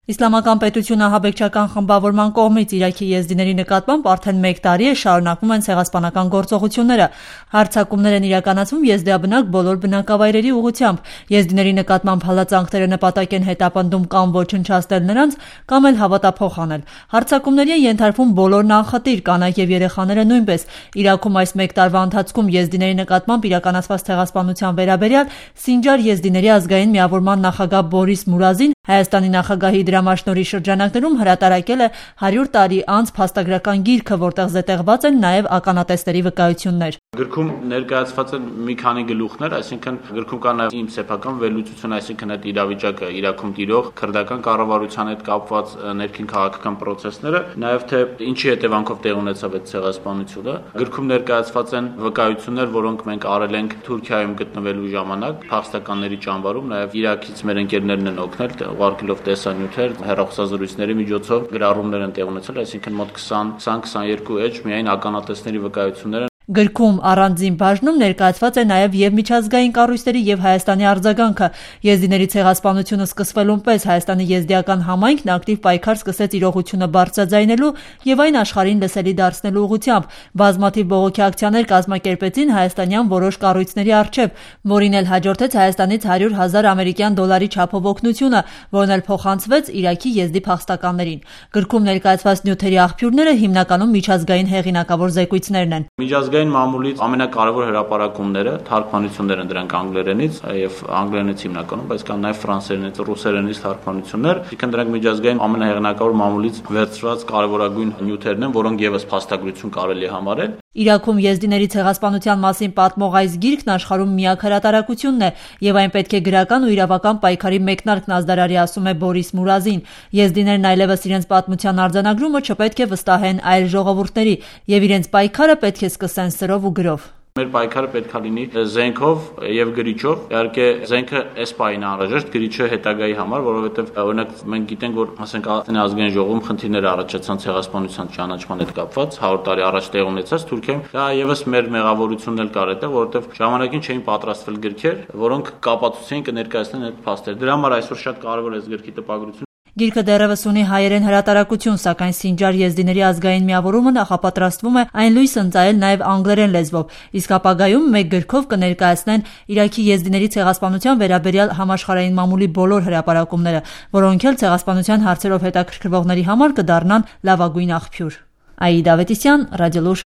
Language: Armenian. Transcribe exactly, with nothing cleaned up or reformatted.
Իսլամական պետությունը ահաբեկչական խմբավորման կողմից Իրաքի եզդիների նկատմամբ արդեն մեկ տարի է շարունակվում են ցեղասպանական գործողությունները։ Հարձակումներ են իրականացվում եզդիաբնակ բոլոր բնակավայրերի ուղղությամբ։ Եզդիների նկատմամբ հալածանքները նպատակ են հետապնդում կամ ոչնչացնել նրանց, կամ էլ հավատափոխ անել։ Հարձակումների են ենթարկվում բոլորն անխտիր, կանայք եւ երեխաները նույնպես։ Իրաքում այս մեկ տարվա ընթացքում եզդիների նկատմամբ իրականացված ցեղասպանության վերաբերյալ Սինջար եզդիների ազգային միավորման նախագահ Բորիս Մուրազին Հայաստանի նախագահի դրամաշնորհի շրջանակներում հրատարակել է հարյուր տարի անց փաստագրական գիրքը, որտեղ զետեղված են նաև ականատեսների վկայություններ։ Գրքում ներկայացված են մի քանի գլուխներ, այսինքն գրքում կա նաև իմ սեփական վերլուծություն, այսինքն այդ իրավիճակը Իրաքում տիրող քրդական կառավարության հետ կապված ներքին քաղաքական process-ները, նաև թե ինչի հետևանքով տեղ ունեցավ այդ ցեղասպանությունը։ Գրքում ներկայացված են վկայություններ, որոնք մենք արել ենք Թուրքիայում գտնվելու ժամանակ, փախստականների ճամբարում, նաև Իրաքից մեր ընկերներն են օգնել, ուղարկելով տեսանյութեր, հեռախոսազրույցների միջոցով գրառումներ են տեղ ունեցել, այսինքն մոտ քսան քսաներկու էջ միայն ականատեսների վկայություններ են։ Գրքում առանձին բաժնում ներկայացված է նաև եւ միջազգային կառույցների եւ Հայաստանի արձագանքը։ Եզդիների ցեղասպանությունը սկսվելուն պես Հայաստանի եզդիական համայնքն ակտիվ պայքար սկսեց իրողությունը բարձրաձայնելու եւ այն աշխարհին լսելի դարձնելու ուղղությամբ։ Բազմաթիվ բողոքի ակցիաներ կազմակերպեցին հայաստանյան որոշ կառույցների առջեւ, որին էլ հաջորդեց Հայաստանից հարյուր հազար ամերիկյան դոլարի չափով օգնությունը, որն էլ փոխանցվեց Իրաքի եզդի փախստականներին։ Գրքում ներկայացված նյութերի աղբյուրները հիմնականում միջազգային հեղինակավոր զեկույցներն են։ Միջազգային մամուլից ամենակարևոր հրապարակումները, թարգմանություններ են դրանք անգլերենից եւ անգլերենից հիմնականում, բայց կան նաեւ ֆրանսերենից, ռուսերենից թարգմանություններ, այսինքն դրանք միջազգային ամենահեղինակավոր մամուլից վերցված կարևորագույն նյութերն են, որոնք եւս փաստագրություն կարելի է համարել։ Իրաքում եզդիների ցեղասպանության մասին պատմող այս գիրքն աշխարհում միակ հրատարակությունն է եւ այն պետք է գրական ու իրավական պայքարի մեկնարկն ազդարարի, ասում է Բորիս Մուրազին։ Եզդիներն այլևս իրենց պատմության արձանագրումը չպետք է վստահեն այլ ժողովուրդների եւ իրենց պայքարը պետք է սկսեն սրով ու գրով։ Մեր պայքարը պետք է լինի զենքով եւ գրիչով։ Իհարկե զենքը այս պահին անհրաժեշտ, գրիչը հետագայի համար, որովհետեւ օրինակ մենք գիտենք, որ ասենք ազգային ժողովում խնդիրներ առաջացան ցեղասպանության ճանաչման հետ կապված, հարյուր տարի առաջ տեղ ունեցած Թուրքիայում։ Դա եւս մեր մեղավորությունն էլ կար այդտեղ, որովհետեւ ժամանակին չէին պատրաստվել գրքեր, որոնք կապացուցեին կներկայացնեն այդ փաստերը։ Դրա համար այսօր շատ կարեւոր է այս գրքի տպագրությունը։ Գիրքը դեռևս ունի հայերեն հրատարակություն, սակայն Սինջար եզդիների ազգային միավորումը նախապատրաստվում է այն լույս ընծայել նաև անգլերեն լեզվով, իսկ ապագայում մեկ գրքով կներկայացնեն Իրաքի եզդիների ցեղասպանության վերաբերյալ համաշխարհային մամուլի բոլոր հրապարակումները, որոնք էլ ցեղասպանության հարցերով հետաքրքրվողների համար կդառնան լավագույն աղբյուր։ Աիդա Ավետիսյան, Ռադիոլուր։